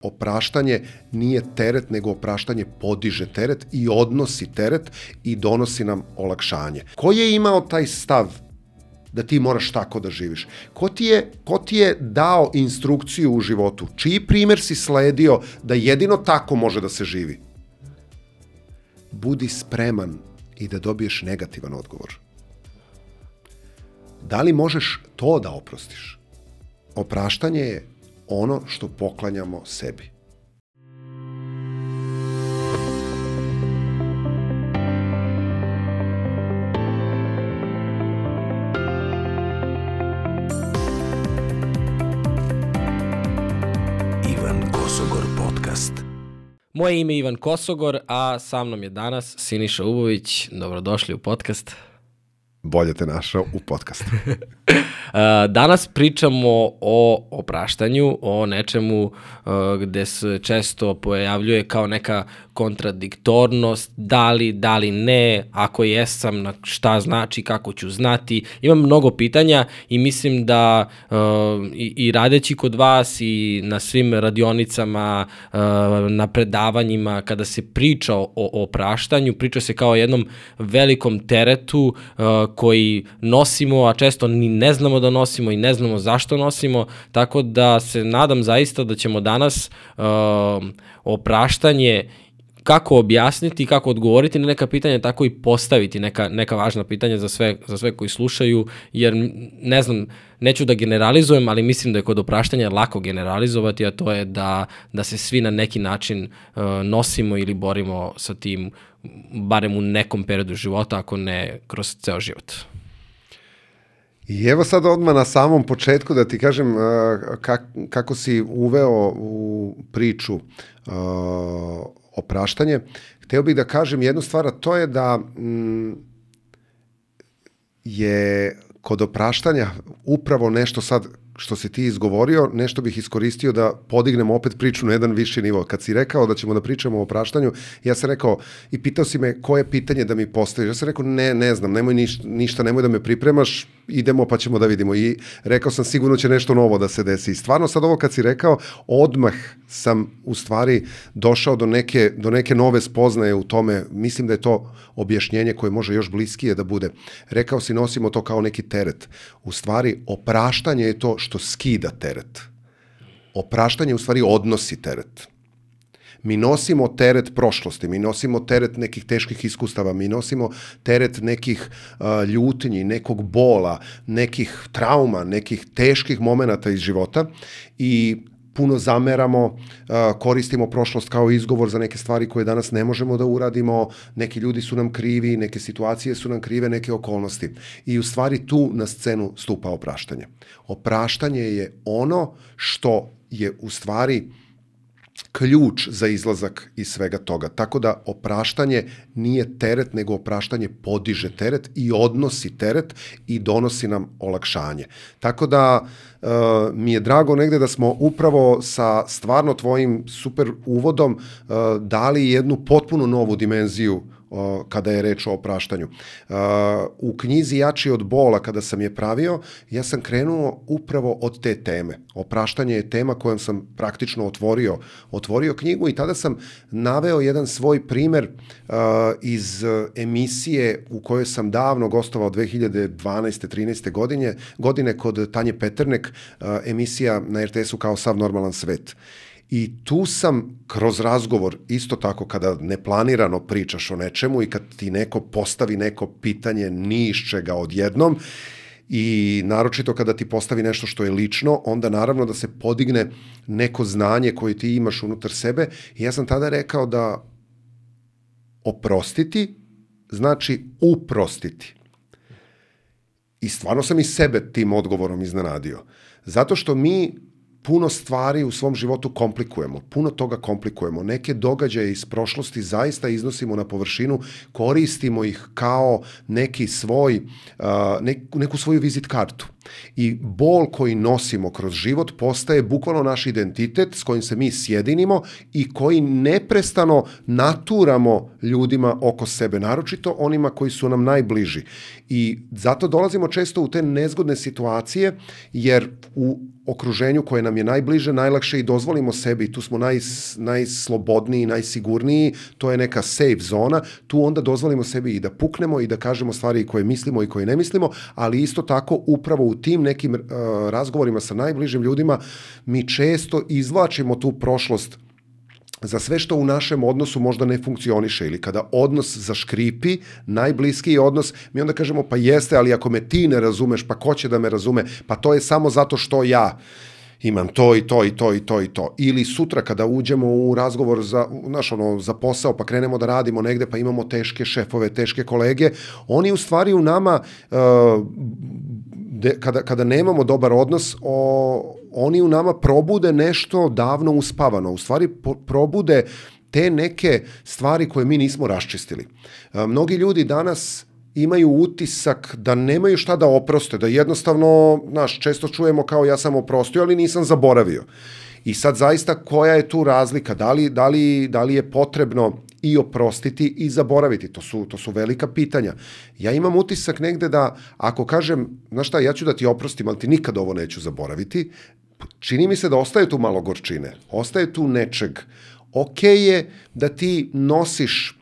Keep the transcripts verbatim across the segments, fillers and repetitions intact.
Opraštanje nije teret, nego opraštanje podiže teret i odnosi teret i donosi nam olakšanje. Ko je imao taj stav da ti moraš tako da živiš? Ko ti je, ko ti je dao instrukciju u životu? Čiji primer si sledio da jedino tako može da se živi? Budi spreman i da dobiješ negativan odgovor. Da li možeš to da oprostiš? Opraštanje je ono što poklanjamo sebi. Ivan Kosogor podcast. Moje ime je Ivan Kosogor, a sa mnom je danas Siniša Ubović. Dobrodošli u podcast. Bolje te našao u podcastu. Danas pričamo o opraštanju, o nečemu gde se često pojavljuje kao neka kontradiktornost, da li, da li ne, ako jesam, na šta znači, kako ću znati. Imam mnogo pitanja i mislim da i, i radeći kod vas i na svim radionicama, na predavanjima, kada se priča o, o opraštanju, priča se kao o jednom velikom teretu koji nosimo, a često ni ne znamo da nosimo i ne znamo zašto nosimo, tako da se nadam zaista da ćemo danas uh, opraštanje kako objasniti, kako odgovoriti na neka pitanja, tako i postaviti neka, neka važna pitanja za sve, za sve koji slušaju, jer ne znam, neću da generalizujem, ali mislim da je kod opraštanja lako generalizovati, a to je da, da se svi na neki način uh, nosimo ili borimo sa tim, barem u nekom periodu života, ako ne kroz ceo život. I evo sad odmah na samom početku da ti kažem uh, kak, kako si uveo u priču uh, opraštanje. Hteo bih da kažem jednu stvar, a to je da mm, je kod opraštanja upravo nešto sad što si ti izgovorio, nešto bih iskoristio da podignem opet priču na jedan viši nivo. Kad si rekao da ćemo da pričamo o opraštanju, ja sam rekao i pitao si me koje pitanje da mi postaviš. Ja sam rekao ne, ne znam, nemoj niš, ništa, nemoj da me pripremaš, idemo pa ćemo da vidimo. I rekao sam sigurno će nešto novo da se desi. I stvarno sad ovo kad si rekao, odmah sam u stvari došao do neke, do neke nove spoznaje u tome. Mislim da je to objašnjenje koje može još bliskije da bude. Rekao si nosimo to kao neki teret. U stvari opraštanje je to što skida teret. Opraštanje u stvari odnosi teret. Mi nosimo teret prošlosti, mi nosimo teret nekih teških iskustava, mi nosimo teret nekih uh, ljutnji, nekog bola, nekih trauma, nekih teških momenata iz života i puno zameramo, koristimo prošlost kao izgovor za neke stvari koje danas ne možemo da uradimo, neki ljudi su nam krivi, neke situacije su nam krive, neke okolnosti. I u stvari tu na scenu stupa opraštanje. Opraštanje je ono što je u stvari ključ za izlazak iz svega toga. Tako da opraštanje nije teret, nego opraštanje podiže teret i odnosi teret i donosi nam olakšanje. Tako da uh, mi je drago negde da smo upravo sa stvarno tvojim super uvodom uh, dali jednu potpuno novu dimenziju kada je reč o opraštanju. U knjizi Jači od bola, kada sam je pravio, ja sam krenuo upravo od te teme. Opraštanje je tema kojom sam praktično otvorio, otvorio knjigu i tada sam naveo jedan svoj primer iz emisije u kojoj sam davno gostovao dve hiljade dvanaeste trinaeste godine, godine kod Tanje Peternek, emisija na er te esu Kao sav normalan svet. I tu sam kroz razgovor, isto tako kada neplanirano pričaš o nečemu i kad ti neko postavi neko pitanje ni iz čega odjednom i naročito kada ti postavi nešto što je lično, onda naravno da se podigne neko znanje koje ti imaš unutar sebe. I ja sam tada rekao da oprostiti znači uprostiti. I stvarno sam i sebe tim odgovorom iznenadio. Zato što mi puno stvari u svom životu komplikujemo, puno toga komplikujemo. Neke događaje iz prošlosti zaista iznosimo na površinu, koristimo ih kao neki svoj, neku, neku svoju vizit kartu. I bol koji nosimo kroz život postaje bukvalno naš identitet s kojim se mi sjedinimo i koji neprestano naturamo ljudima oko sebe, naročito onima koji su nam najbliži. I zato dolazimo često u te nezgodne situacije, jer u okruženju koje nam je najbliže, najlakše i dozvolimo sebi, tu smo naj, najslobodniji, najsigurniji, to je neka safe zona, tu onda dozvolimo sebi i da puknemo i da kažemo stvari koje mislimo i koje ne mislimo, ali isto tako upravo u tim nekim uh, razgovorima sa najbližim ljudima mi često izvlačimo tu prošlost za sve što u našem odnosu možda ne funkcioniše ili kada odnos zaškripi, najbliskiji odnos, mi onda kažemo pa jeste, ali ako me ti ne razumeš, pa ko će da me razume, pa to je samo zato što ja imam to i to i to i to i to. Ili sutra kada uđemo u razgovor za, znaš, ono, za posao, pa krenemo da radimo negde, pa imamo teške šefove, teške kolege, oni u stvari u nama, uh, de, kada, kada nemamo dobar odnos, o, oni u nama probude nešto davno uspavano. U stvari po, probude te neke stvari koje mi nismo raščistili. Uh, mnogi ljudi danas imaju utisak da nemaju šta da oproste, da jednostavno, znaš, često čujemo kao ja sam oprostio, ali nisam zaboravio. I sad zaista koja je tu razlika? Da li, da li, da li je potrebno i oprostiti i zaboraviti? To su, to su velika pitanja. Ja imam utisak negde da ako kažem, znaš šta, ja ću da ti oprostim, ali ti nikad ovo neću zaboraviti, čini mi se da ostaje tu malo gorčine, ostaje tu nečeg. Okej je da ti nosiš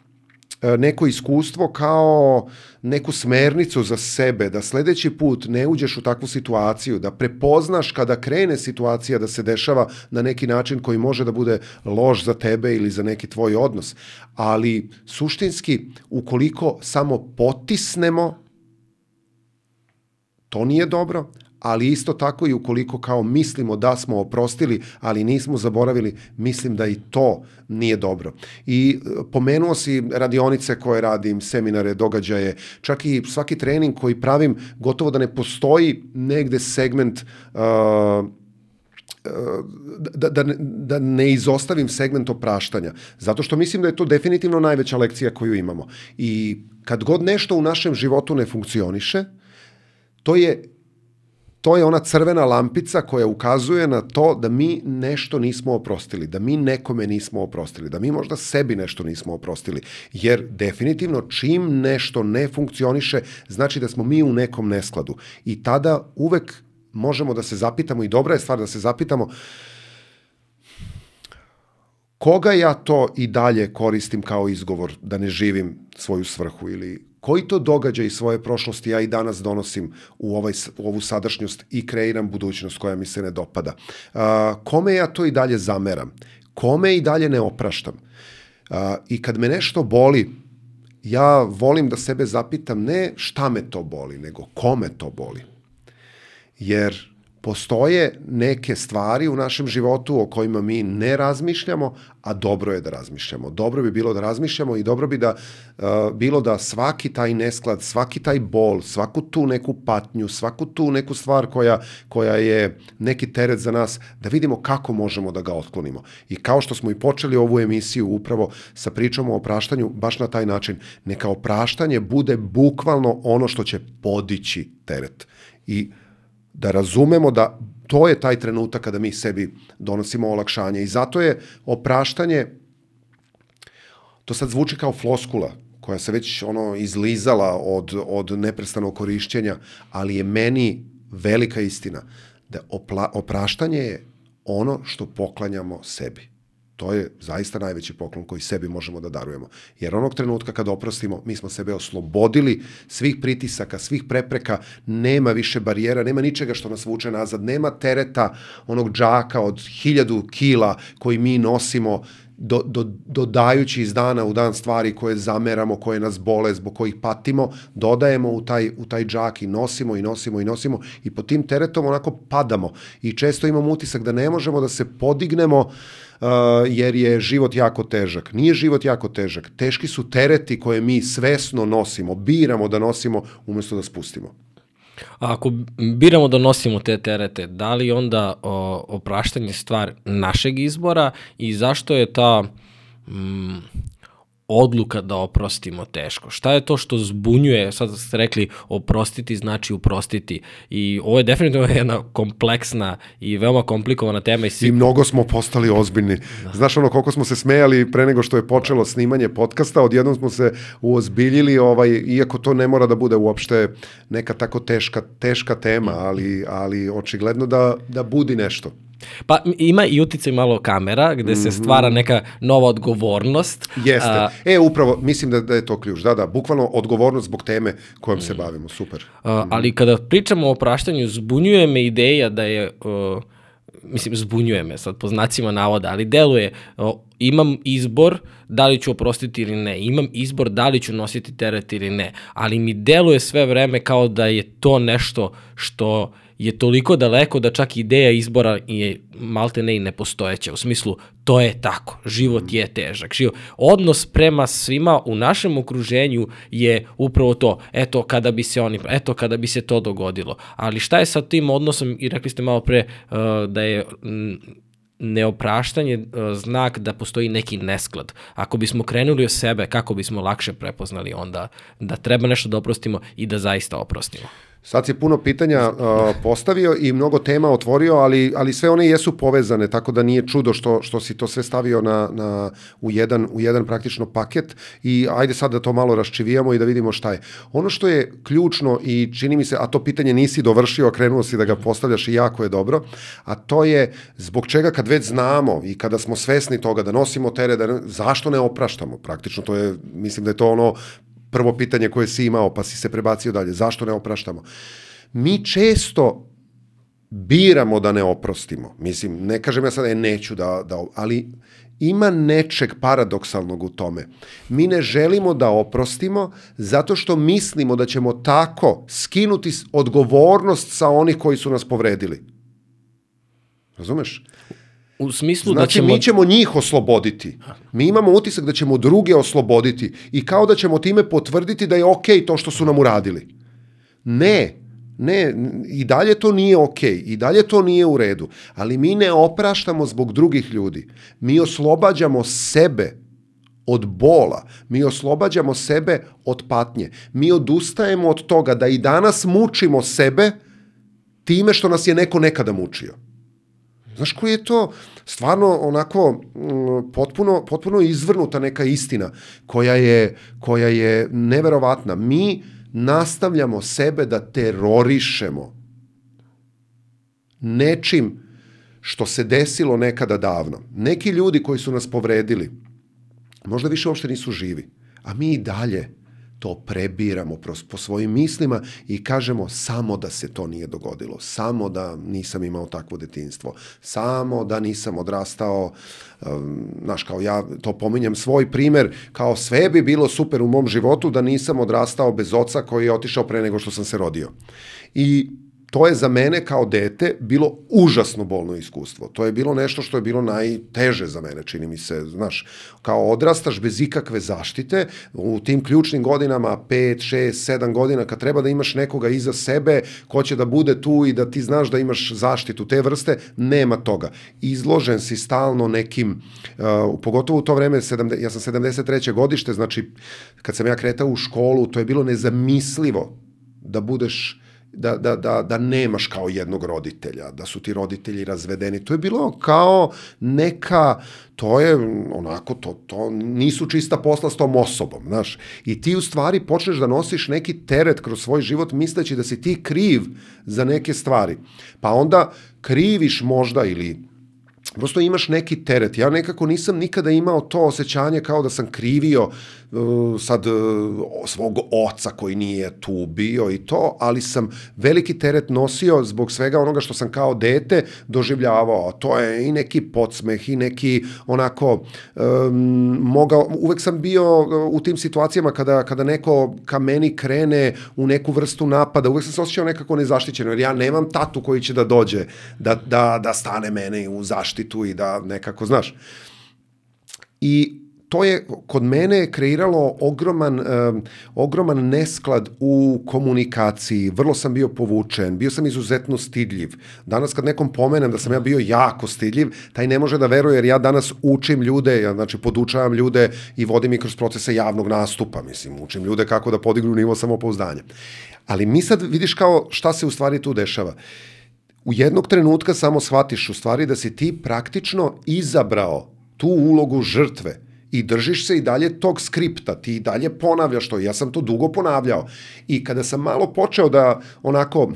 neko iskustvo kao neku smernicu za sebe, da sledeći put ne uđeš u takvu situaciju, da prepoznaš kada krene situacija da se dešava na neki način koji može da bude loš za tebe ili za neki tvoj odnos. Ali suštinski, ukoliko samo potisnemo, to nije dobro, ali isto tako i ukoliko kao mislimo da smo oprostili, ali nismo zaboravili, mislim da i to nije dobro. I pomenuo si radionice koje radim, seminare, događaje, čak i svaki trening koji pravim, gotovo da ne postoji negde segment uh, Da, da, da ne izostavim segment opraštanja. Zato što mislim da je to definitivno najveća lekcija koju imamo. I kad god nešto u našem životu ne funkcioniše, to je To je ona crvena lampica koja ukazuje na to da mi nešto nismo oprostili, da mi nekome nismo oprostili, da mi možda sebi nešto nismo oprostili. Jer definitivno čim nešto ne funkcioniše, znači da smo mi u nekom neskladu. I tada uvek možemo da se zapitamo, i dobra je stvar da se zapitamo, koga ja to i dalje koristim kao izgovor da ne živim svoju svrhu, ili koji to događaj iz svoje prošlosti ja i danas donosim u, ovaj, u ovu sadašnjost i kreiram budućnost koja mi se ne dopada. Uh, kome ja to i dalje zameram? Kome i dalje ne opraštam? Uh, I kad me nešto boli, ja volim da sebe zapitam ne šta me to boli, nego kome to boli. Jer postoje neke stvari u našem životu o kojima mi ne razmišljamo, a dobro je da razmišljamo. Dobro bi bilo da razmišljamo i dobro bi da uh, bilo da svaki taj nesklad, svaki taj bol, svaku tu neku patnju, svaku tu neku stvar koja, koja je neki teret za nas, da vidimo kako možemo da ga otklonimo. I kao što smo i počeli ovu emisiju upravo sa pričom o opraštanju, baš na taj način, neka opraštanje bude bukvalno ono što će podići teret. I da razumemo da to je taj trenutak kada mi sebi donosimo olakšanje. I zato je opraštanje, to sad zvuči kao floskula, koja se već ono izlizala od, od neprestanog korišćenja, ali je meni velika istina da opla, opraštanje je ono što poklanjamo sebi. To je zaista najveći poklon koji sebi možemo da darujemo. Jer onog trenutka kad oprostimo, mi smo sebe oslobodili svih pritisaka, svih prepreka, nema više barijera, nema ničega što nas vuče nazad, nema tereta onog džaka od hiljadu kila koji mi nosimo, do, do, dodajući iz dana u dan stvari koje zameramo, koje nas bole, zbog kojih patimo, dodajemo u taj, u taj džak i nosimo i nosimo i nosimo i pod tim teretom onako padamo. I često imamo utisak da ne možemo da se podignemo Uh, jer je život jako težak. Nije život jako težak. Teški su tereti koje mi svesno nosimo, biramo da nosimo umjesto da spustimo. A ako biramo da nosimo te terete, da li onda o, opraštanje stvar našeg izbora i zašto je ta mm, odluka da oprostimo teško? Šta je to što zbunjuje, sad ste rekli oprostiti znači uprostiti i ovo je definitivno jedna kompleksna i veoma komplikovana tema. I, svi... I mnogo smo postali ozbiljni. Da. Znaš ono koliko smo se smejali pre nego što je počelo snimanje podcasta, odjednom smo se uozbiljili, ovaj, iako to ne mora da bude uopšte neka tako teška, teška tema, ali, ali očigledno da, da budi nešto. Pa ima i uticaj malo kamera gde se stvara neka nova odgovornost. Jeste. A, e, upravo, mislim da, da je to ključ. Da, da, bukvalno odgovornost zbog teme kojom se bavimo. Super. A, ali kada pričamo o opraštanju, zbunjuje me ideja da je, uh, mislim, zbunjuje me sad po znacima navoda, ali deluje, uh, imam izbor da li ću oprostiti ili ne, imam izbor da li ću nositi teret ili ne, ali mi deluje sve vreme kao da je to nešto što je toliko daleko da čak ideja izbora je malte ne i nepostojeća. U smislu, to je tako, život je težak. Život. Odnos prema svima u našem okruženju je upravo to, eto kada bi se oni, eto kada bi se to dogodilo. Ali šta je sa tim odnosom, i rekli ste malo pre uh, da je m, neopraštanje uh, znak da postoji neki nesklad. Ako bismo krenuli od sebe, kako bismo lakše prepoznali onda da treba nešto da oprostimo i da zaista oprostimo? Sad si puno pitanja uh, postavio i mnogo tema otvorio, ali, ali sve one jesu povezane, tako da nije čudo što, što si to sve stavio na, na, u, jedan, u jedan praktično paket i ajde sad da to malo raščivijamo i da vidimo šta je. Ono što je ključno i čini mi se, a to pitanje nisi dovršio, a krenuo si da ga postavljaš i jako je dobro, a to je zbog čega kad već znamo i kada smo svesni toga da nosimo teret, da, zašto ne opraštamo? Praktično to je, mislim da je to ono prvo pitanje koje si imao, pa si se prebacio dalje. Zašto ne opraštamo? Mi često biramo da ne oprostimo. Mislim, ne kažem ja sad, e, neću da, da, ali ima nečeg paradoksalnog u tome. Mi ne želimo da oprostimo zato što mislimo da ćemo tako skinuti odgovornost sa onih koji su nas povredili. Razumeš? U smislu znači, da ćemo... mi ćemo njih osloboditi. Mi imamo utisak da ćemo druge osloboditi i kao da ćemo time potvrditi da je okej to što su nam uradili. Ne, ne, i dalje to nije okej, i dalje to nije u redu, ali mi ne opraštamo zbog drugih ljudi. Mi oslobađamo sebe od bola, mi oslobađamo sebe od patnje. Mi odustajemo od toga da i danas mučimo sebe time što nas je neko nekada mučio. Znaš koji je to stvarno onako m, potpuno, potpuno izvrnuta neka istina koja je, koja je neverovatna. Mi nastavljamo sebe da terorišemo nečim što se desilo nekada davno. Neki ljudi koji su nas povredili možda više uopšte nisu živi, a mi i dalje to prebiramo po svojim mislima i kažemo samo da se to nije dogodilo, samo da nisam imao takvo detinjstvo, samo da nisam odrastao, um, znaš, kao ja to pominjem svoj primer, kao sve bi bilo super u mom životu da nisam odrastao bez oca koji je otišao pre nego što sam se rodio. I to je za mene kao dete bilo užasno bolno iskustvo. To je bilo nešto što je bilo najteže za mene, čini mi se. Znaš, kao odrastaš bez ikakve zaštite, u tim ključnim godinama, pet, šest, sedam godina, kad treba da imaš nekoga iza sebe, ko će da bude tu i da ti znaš da imaš zaštitu te vrste, nema toga. Izložen si stalno nekim, uh, pogotovo u to vreme, sedamdeset, ja sam sedamdeset treće godište, znači, kad sam ja kretao u školu, to je bilo nezamislivo da budeš Da, da, da, da nemaš kao jednog roditelja, da su ti roditelji razvedeni. To je bilo kao neka, to je onako, to, to nisu čista posla s tom osobom, znaš. I ti u stvari počneš da nosiš neki teret kroz svoj život misleći da si ti kriv za neke stvari. Pa onda kriviš možda ili prosto imaš neki teret. Ja nekako nisam nikada imao to osjećanje kao da sam krivio uh, sad uh, svog oca koji nije tu bio i to, ali sam veliki teret nosio zbog svega onoga što sam kao dete doživljavao. To je i neki podsmeh i neki onako um, mogao, uvek sam bio u tim situacijama kada, kada neko ka meni krene u neku vrstu napada, uvek sam se osjećao nekako nezaštićeno, jer ja nemam tatu koji će da dođe, da, da, da stane mene u zaštitu i da nekako, znaš. I to je kod mene kreiralo ogroman, um, ogroman nesklad u komunikaciji. Vrlo sam bio povučen, bio sam izuzetno stidljiv. Danas kad nekom pomenem da sam ja bio jako stidljiv, taj ne može da veruje jer ja danas učim ljude, ja znači podučavam ljude i vodim ih kroz procese javnog nastupa, mislim, učim ljude kako da podignu nivo samopouzdanja. Ali mi sad vidiš kao šta se u stvari tu dešava. U jednog trenutka samo shvatiš u stvari da si ti praktično izabrao tu ulogu žrtve i držiš se i dalje tog skripta, ti i dalje ponavljaš to, ja sam to dugo ponavljao. I kada sam malo počeo da onako uh,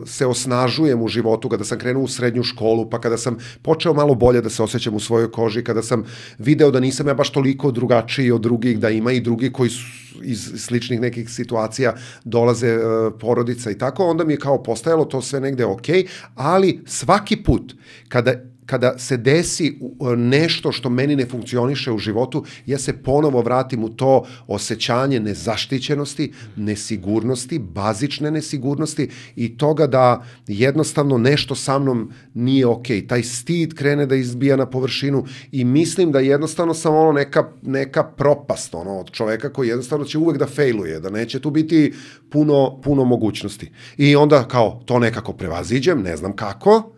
se osnažujem u životu, kada sam krenuo u srednju školu, pa kada sam počeo malo bolje da se osjećam u svojoj koži, kada sam video da nisam ja baš toliko drugačiji od drugih, da ima i drugi koji su iz sličnih nekih situacija dolaze uh, porodica i tako, onda mi je kao postajalo to sve negde okej, ali svaki put kada kada se desi nešto što meni ne funkcioniše u životu, ja se ponovo vratim u to osjećanje nezaštićenosti, nesigurnosti, bazične nesigurnosti i toga da jednostavno nešto sa mnom nije okej. Taj stid krene da izbija na površinu i mislim da jednostavno sam ono neka, neka propast ono, od čoveka koji jednostavno će uvek da fejluje, da neće tu biti puno, puno mogućnosti. I onda kao to nekako prevaziđem, ne znam kako,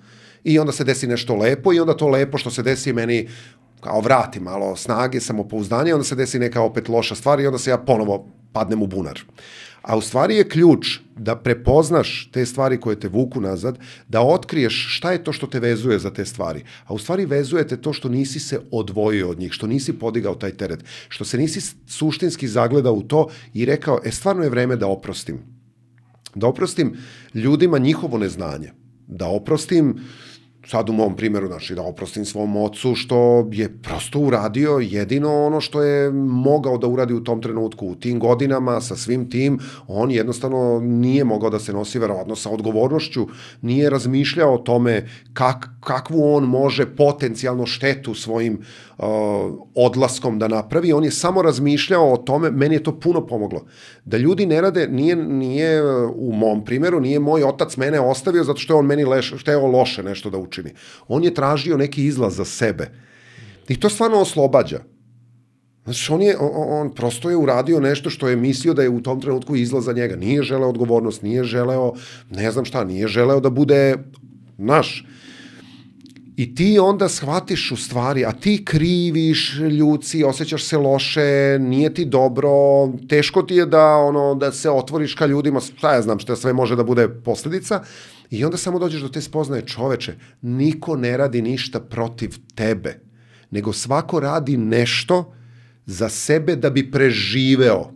i onda se desi nešto lepo i onda to lepo što se desi meni kao vrati malo snage, samopouzdanje, onda se desi neka opet loša stvar i onda se ja ponovo padnem u bunar. A u stvari je ključ da prepoznaš te stvari koje te vuku nazad, da otkriješ šta je to što te vezuje za te stvari. A u stvari vezujete to što nisi se odvojio od njih, što nisi podigao taj teret, što se nisi suštinski zagledao u to i rekao, e stvarno je vreme da oprostim. Da oprostim ljudima njihovo neznanje. Da oprostim, sad u mom primjeru, znači da oprostim svom ocu što je prosto uradio jedino ono što je mogao da uradi u tom trenutku, u tim godinama, sa svim tim, on jednostavno nije mogao da se nosi verovatno sa odgovornošću, nije razmišljao o tome kak, kakvu on može potencijalno štetu svojim uh, odlaskom da napravi, on je samo razmišljao o tome, meni je to puno pomoglo. Da ljudi ne rade, nije, nije u mom primjeru, nije moj otac mene ostavio zato što je on meni leš, šteo loše nešto da učini. On je tražio neki izlaz za sebe. I to stvarno oslobađa. Znači, on, je, on, on prosto je uradio nešto što je mislio da je u tom trenutku izlaz za njega. Nije želeo odgovornost, nije želeo, ne znam šta, nije želeo da bude naš. I ti onda shvatiš u stvari, a ti kriviš ljuci, osjećaš se loše, nije ti dobro, teško ti je da, ono, da se otvoriš ka ljudima, šta ja znam šta sve može da bude posljedica, i onda samo dođeš do te spoznaje, čoveče, niko ne radi ništa protiv tebe, nego svako radi nešto za sebe da bi preživeo.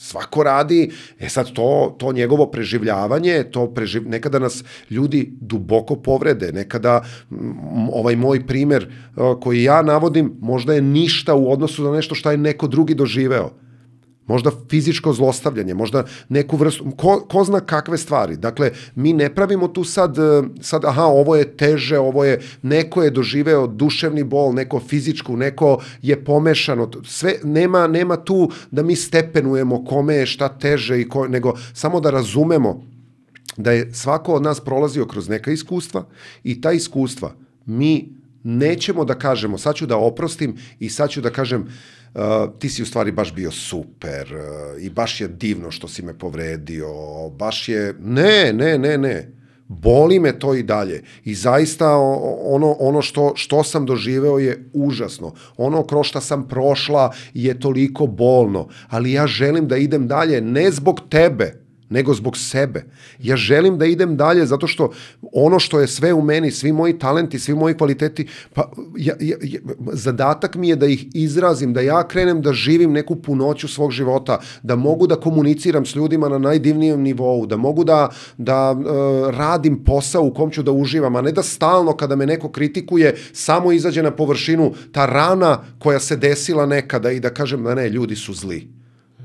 Svako radi, e sad to, to njegovo preživljavanje, to preživ... nekada nas ljudi duboko povrede, nekada m, ovaj moj primjer uh, koji ja navodim možda je ništa u odnosu na nešto što je neko drugi doživeo. Možda fizičko zlostavljanje, možda neku vrstu, ko, ko zna kakve stvari. Dakle, mi ne pravimo tu sad, sad, aha, ovo je teže, ovo je, neko je doživeo duševni bol, neko fizičku, neko je pomešano. Sve, nema, nema tu da mi stepenujemo kome je šta teže, i ko, nego samo da razumemo da je svako od nas prolazio kroz neka iskustva i ta iskustva mi nećemo da kažemo, sad ću da oprostim i sad ću da kažem, Uh, ti si u stvari baš bio super uh, i baš je divno što si me povredio, baš je, ne, ne, ne, ne, boli me to i dalje i zaista ono, ono što, što sam doživeo je užasno, ono kroz šta sam prošla je toliko bolno, ali ja želim da idem dalje ne zbog tebe, nego zbog sebe. Ja želim da idem dalje zato što ono što je sve u meni, svi moji talenti, svi moji kvaliteti, pa ja, ja, ja, zadatak mi je da ih izrazim, da ja krenem da živim neku punoću svog života, da mogu da komuniciram s ljudima na najdivnijem nivou, da mogu da, da uh, radim posao u kom ću da uživam, a ne da stalno kada me neko kritikuje samo izađe na površinu ta rana koja se desila nekada i da kažem da ne, ljudi su zli.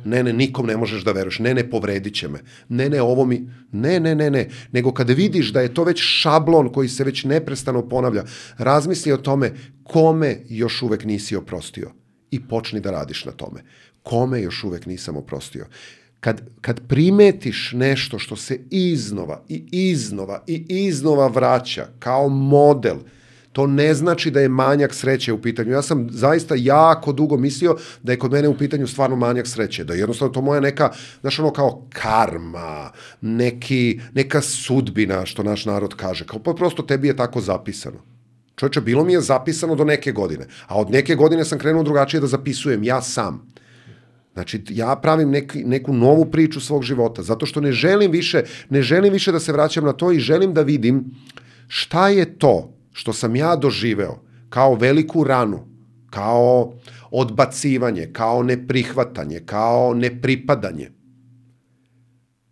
Ne, ne, nikom ne možeš da veruješ, ne, ne, povredit će me, ne, ne, ovo mi, ne, ne, ne, ne, nego kada vidiš da je to već šablon koji se već neprestano ponavlja, razmisli o tome kome još uvek nisi oprostio i počni da radiš na tome. Kome još uvek nisam oprostio. Kad, kad primetiš nešto što se iznova i iznova i iznova vraća kao model, To ne znači da je manjak sreće u pitanju. Ja sam zaista jako dugo mislio da je kod mene u pitanju stvarno manjak sreće, da je jednostavno to moja neka, znaš ono kao karma, neki, neka sudbina, što naš narod kaže, kao pa prosto tebi je tako zapisano. Čovječe, bilo mi je zapisano do neke godine, a od neke godine sam krenuo drugačije da zapisujem, ja sam. Znači, ja pravim neki, neku novu priču svog života, zato što ne želim više, ne želim više da se vraćam na to i želim da vidim šta je to što sam ja doživeo kao veliku ranu, kao odbacivanje, kao neprihvatanje, kao nepripadanje.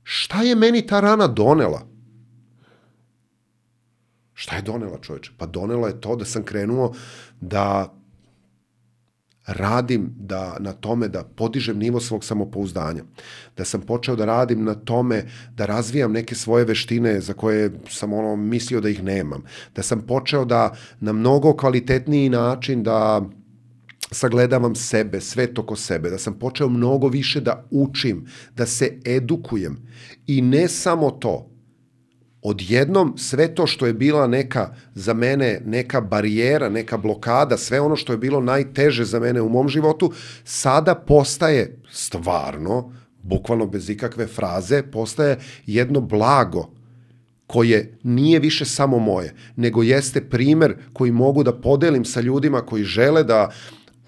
Šta je meni ta rana donela? Šta je donela, čovječe? Pa donela je to da sam krenuo da radim da, na tome da podižem nivo svog samopouzdanja. Da sam počeo da radim na tome da razvijam neke svoje veštine za koje sam ono mislio da ih nemam. Da sam počeo da na mnogo kvalitetniji način da sagledavam sebe, svet oko sebe, da sam počeo mnogo više da učim, da se edukujem. I ne samo to, odjednom sve to što je bila neka, za mene, neka barijera, neka blokada, sve ono što je bilo najteže za mene u mom životu, sada postaje stvarno, bukvalno bez ikakve fraze, postaje jedno blago koje nije više samo moje, nego jeste primer koji mogu da podelim sa ljudima koji žele da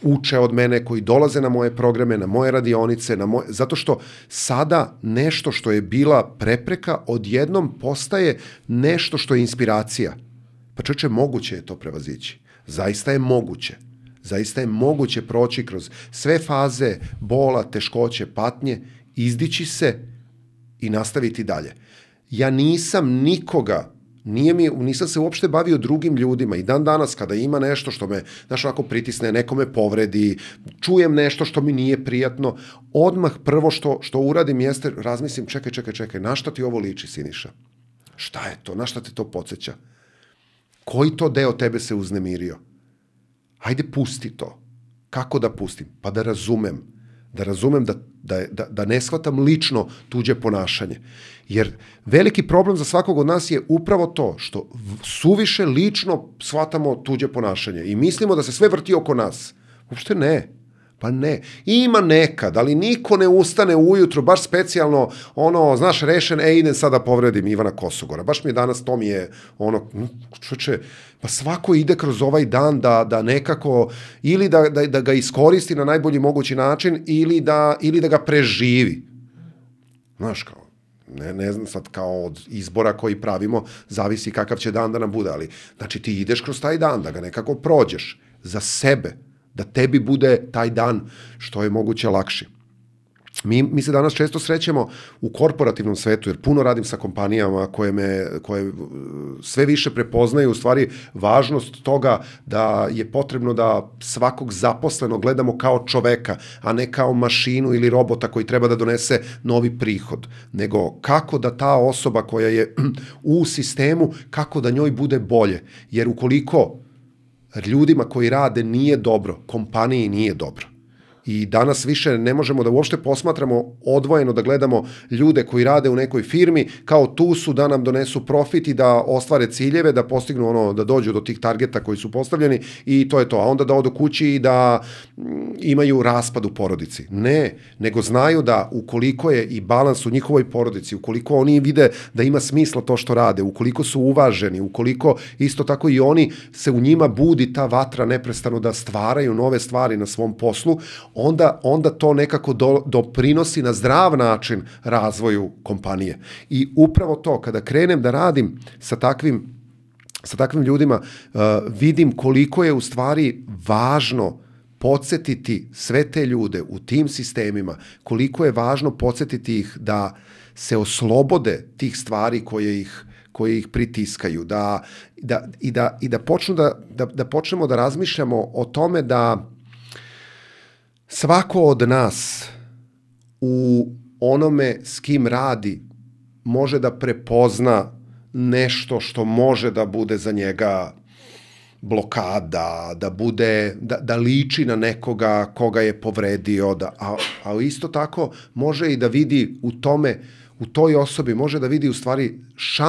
uče od mene, koji dolaze na moje programe, na moje radionice, na moje, zato što sada nešto što je bila prepreka odjednom postaje nešto što je inspiracija. Pa čoveče, moguće je to prevazići. Zaista je moguće. Zaista je moguće proći kroz sve faze bola, teškoće, patnje, izdići se i nastaviti dalje. Ja nisam nikoga Nije mi, nisam se uopšte bavio drugim ljudima i dan danas kada ima nešto što me, znaš, onako pritisne, neko me povredi, čujem nešto što mi nije prijatno, odmah prvo što, što uradim jeste, razmislim, čekaj, čekaj, čekaj, na šta ti ovo liči, Siniša? Šta je to? Na šta te to podsjeća? Koji to deo tebe se uznemirio? Hajde, pusti to. Kako da pustim? Pa da razumem. Da razumem da, da, da, da ne shvatam lično tuđe ponašanje. Jer veliki problem za svakog od nas je upravo to što suviše lično shvatamo tuđe ponašanje i mislimo da se sve vrti oko nas. Uopšte ne. Pa ne. Ima nekad, ali niko ne ustane ujutru, baš specijalno, ono, znaš, rešen, e, idem sada povredim Ivana Kosogora. Baš mi je danas, to mi je, ono, čoče, pa svako ide kroz ovaj dan da, da nekako, ili da, da, da ga iskoristi na najbolji mogući način, ili da, ili da ga preživi. Znaš, kao, ne, ne znam sad, kao od izbora koji pravimo, zavisi kakav će dan da nam bude, ali, znači, ti ideš kroz taj dan, da ga nekako prođeš za sebe, da tebi bude taj dan što je moguće lakši. Mi, mi se danas često srećemo u korporativnom svetu, jer puno radim sa kompanijama koje, me, koje sve više prepoznaju u stvari važnost toga da je potrebno da svakog zaposlenog gledamo kao čoveka, a ne kao mašinu ili robota koji treba da donese novi prihod, nego kako da ta osoba koja je u sistemu, kako da njoj bude bolje. Jer ukoliko ljudima koji rade nije dobro, kompaniji nije dobro. I danas više ne možemo da uopšte posmatramo odvojeno, da gledamo ljude koji rade u nekoj firmi, kao tu su da nam donesu profit i da ostvare ciljeve, da postignu ono, da dođu do tih targeta koji su postavljeni i to je to. A onda da odu kući i da imaju raspad u porodici. Ne, nego znaju da ukoliko je i balans u njihovoj porodici, ukoliko oni vide da ima smisla to što rade, ukoliko su uvaženi, ukoliko isto tako i oni se u njima budi ta vatra neprestano da stvaraju nove stvari na svom poslu, Onda, onda to nekako do, doprinosi na zdrav način razvoju kompanije. I upravo to, kada krenem da radim sa takvim, sa takvim ljudima, uh, vidim koliko je u stvari važno podsjetiti sve te ljude u tim sistemima, koliko je važno podsjetiti ih da se oslobode tih stvari koje ih koje ih pritiskaju, da, da, i, da, i da, počnu da, da, da počnemo da razmišljamo o tome da svako od nas u onome s kim radi može da prepozna nešto što može da bude za njega blokada, da bude, da, da liči na nekoga koga je povredio, da, a, a isto tako može i da vidi u tome, u toj osobi može da vidi u stvari šansu